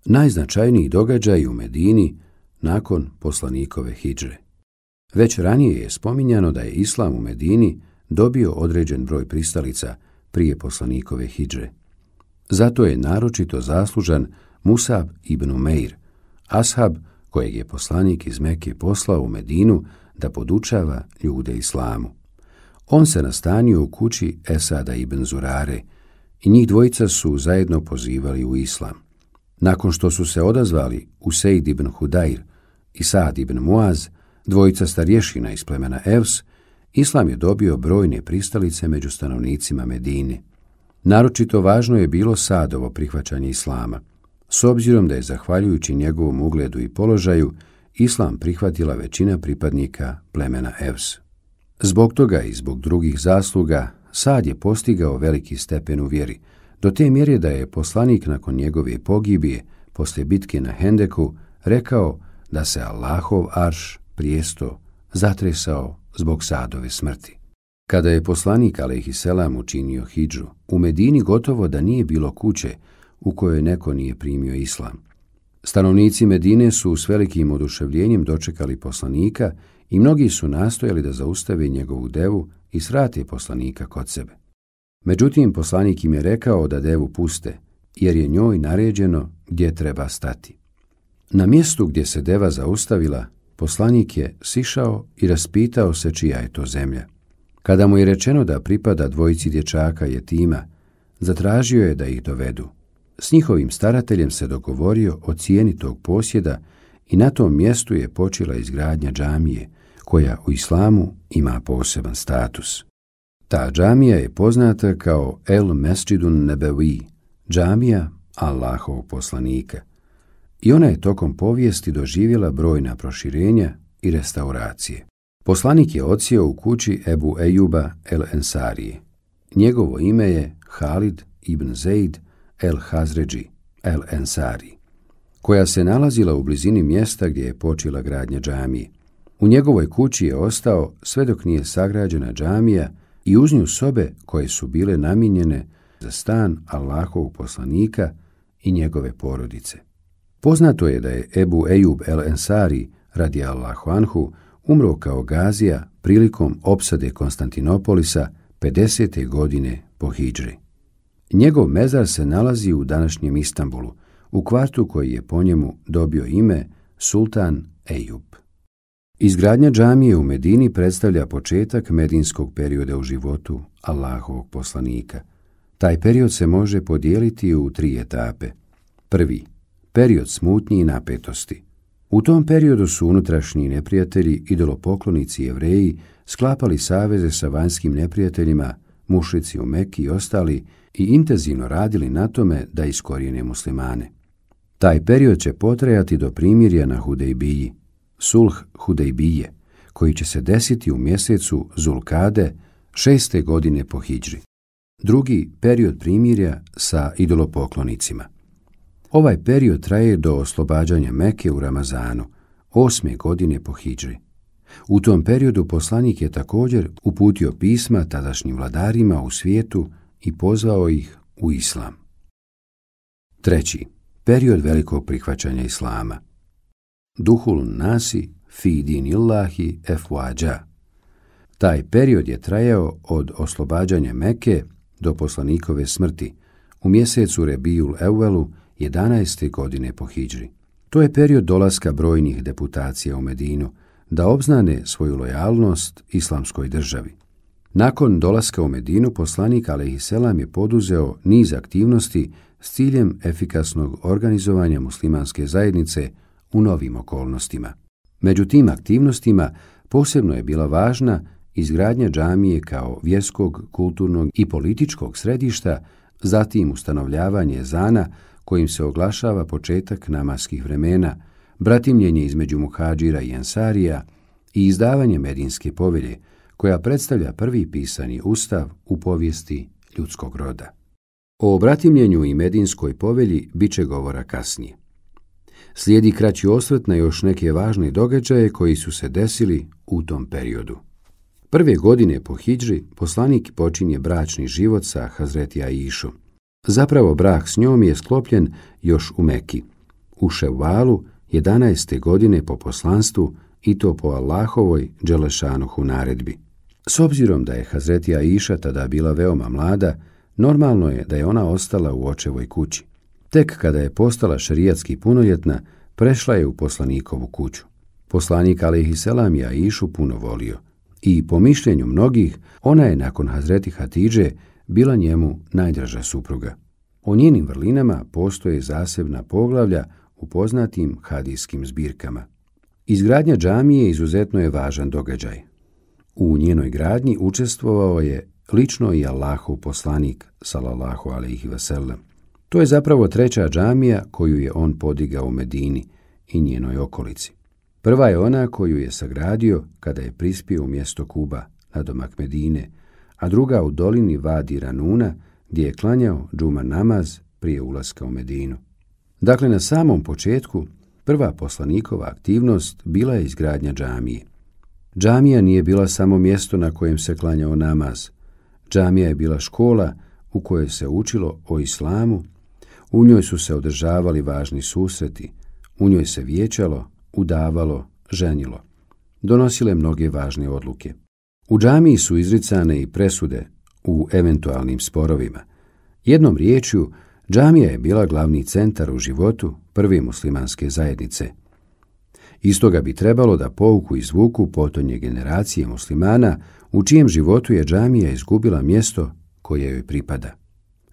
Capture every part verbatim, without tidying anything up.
Najznačajniji događaj u Medini nakon poslanikove hidžre. Već ranije je spominjano da je islam u Medini dobio određen broj pristalica prije poslanikove hidžre. Zato je naročito zaslužan Musab ibn Umeir, ashab kojeg je poslanik iz Mekke poslao u Medinu da podučava ljude islamu. On se nastanio u kući Esada ibn Zurare i njih dvojica su zajedno pozivali u islam. Nakon što su se odazvali Usejd ibn Hudajr i Saad ibn Muaz, dvojica starješina iz plemena Evs, islam je dobio brojne pristalice među stanovnicima Medine. Naročito važno je bilo Saadovo prihvaćanje islama, s obzirom da je zahvaljujući njegovom ugledu i položaju islam prihvatila većina pripadnika plemena Evs. Zbog toga i zbog drugih zasluga Saad je postigao veliki stepen u vjeri, do te mjere da je poslanik nakon njegove pogibije, poslije bitke na Hendeku, rekao da se Allahov arš, prijesto, zatresao zbog Saadove smrti. Kada je poslanik alejhiselam učinio hidžu, u Medini gotovo da nije bilo kuće u kojoj neko nije primio islam. Stanovnici Medine su s velikim oduševljenjem dočekali poslanika i mnogi su nastojali da zaustave njegovu devu i svrate poslanika kod sebe. Međutim, poslanik im je rekao da devu puste, jer je njoj naređeno gdje treba stati. Na mjestu gdje se deva zaustavila, poslanik je sišao i raspitao se čija je to zemlja. Kada mu je rečeno da pripada dvojici dječaka jetima, zatražio je da ih dovedu. S njihovim starateljem se dogovorio o cijeni tog posjeda i na tom mjestu je počela izgradnja džamije, koja u islamu ima poseban status. Ta džamija je poznata kao El Mesdžidun Nebevi, džamija Allahovog poslanika. I ona je tokom povijesti doživjela brojna proširenja i restauracije. Poslanik je odsjeo u kući Ebu Ejuba el Ensarije. Njegovo ime je Halid ibn Zeid el Hazređi el Ensari, koja se nalazila u blizini mjesta gdje je počela gradnja džamije. U njegovoj kući je ostao sve dok nije sagrađena džamija i uz nju sobe koje su bile namijenjene za stan Allahovog poslanika i njegove porodice. Poznato je da je Ebu Ejub el Ensari radijallahu anhu umro kao gazija prilikom opsade Konstantinopolisa pedesete godine po hidžri. Njegov mezar se nalazi u današnjem Istanbulu, u kvartu koji je po njemu dobio ime Sultan Ejub. Izgradnja džamije u Medini predstavlja početak medinskog perioda u životu Allahovog poslanika. Taj period se može podijeliti u tri etape. Prvi, period smutnji i napetosti. U tom periodu su unutrašnji neprijatelji, idolopoklonici Jevreji, sklapali saveze sa vanjskim neprijateljima, mušrici u Meki i ostali, i intenzivno radili na tome da iskorijene muslimane. Taj period će potrajati do primirja na Hudejbiji, sulh Hudejbije, koji će se desiti u mjesecu Zulkade šeste godine po hidžri. Drugi, period primirja sa idolopoklonicima. Ovaj period traje do oslobađanja Meke u Ramazanu, osme godine po hidžri. U tom periodu poslanik je također uputio pisma tadašnjim vladarima u svijetu i pozvao ih u islam. Treći, period velikog prihvaćanja islama. Duhul nasi fi dinillahi efwađa. Taj period je trajao od oslobađanja Meke do poslanikove smrti u mjesecu Rebijul Evvelu jedanaeste godine po hidžri. To je period dolaska brojnih deputacija u Medinu da obznane svoju lojalnost islamskoj državi. Nakon dolaska u Medinu poslanik alejhiselam je poduzeo niz aktivnosti s ciljem efikasnog organizovanja muslimanske zajednice u novim okolnostima. Među tim aktivnostima posebno je bila važna izgradnja džamije kao vjerskog, kulturnog i političkog središta, zatim ustanovljavanje ezana kojim se oglašava početak namaskih vremena, bratimljenje između muhadžira i ensarija i izdavanje Medinske povelje, koja predstavlja prvi pisani ustav u povijesti ljudskog roda. O bratimljenju i Medinskoj povelji bit će govora kasnije. Slijedi kraći osvrt na još neke važne događaje koji su se desili u tom periodu. Prve godine po hidžri poslanik počinje bračni život sa Hazreti Aišom. Zapravo brak s njom je sklopljen još u Meki. u Ševalu jedanaeste godine po poslanstvu i to po Allahovoj dželešanuhu naredbi. S obzirom da je Hazreti Aiša tada bila veoma mlada, normalno je da je ona ostala u očevoj kući. Tek kada je postala šerijatski punoljetna, prešla je u poslanikovu kuću. Poslanik alejhiselam je Aišu puno volio i po mišljenju mnogih ona je nakon Hazreti Hatidže bila njemu najdraža supruga. O njenim vrlinama postoje zasebna poglavlja u poznatim hadijskim zbirkama. Izgradnja džamije izuzetno je važan događaj. U njenoj gradnji učestvovao je lično i Allahov poslanik, sallallahu alejhi ve sellem. To je zapravo treća džamija koju je on podigao u Medini i njenoj okolici. Prva je ona koju je sagradio kada je prispio u mjesto Kuba, nadomak Medine, a druga u dolini Vadi Ranuna, gdje je klanjao džuma namaz prije ulaska u Medinu. Dakle, na samom početku, prva poslanikova aktivnost bila je izgradnja džamije. Džamija nije bila samo mjesto na kojem se klanjao namaz. Džamija je bila škola u kojoj se učilo o islamu, u njoj su se održavali važni susreti, u njoj se vijećalo, udavalo, ženilo. Donosile mnoge važne odluke. U džamiji su izricane i presude u eventualnim sporovima. Jednom riječju, džamija je bila glavni centar u životu prve muslimanske zajednice. Iz toga bi trebalo da pouku izvuku potonje generacije muslimana u čijem životu je džamija izgubila mjesto koje joj pripada.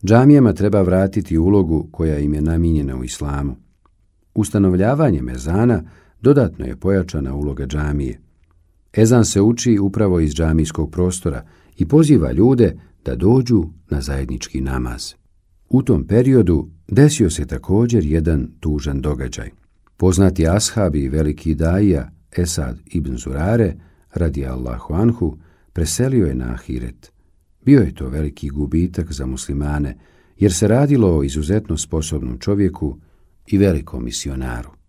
Džamijama treba vratiti ulogu koja im je namijenjena u islamu. Ustanovljavanjem ezana dodatno je pojačana uloga džamije. Ezan se uči upravo iz džamijskog prostora i poziva ljude da dođu na zajednički namaz. U tom periodu desio se također jedan tužan događaj. Poznati ashab i veliki daija Esad ibn Zurare, radijallahu anhu, preselio je na ahiret. Bio je to veliki gubitak za muslimane, jer se radilo o izuzetno sposobnom čovjeku i velikom misionaru.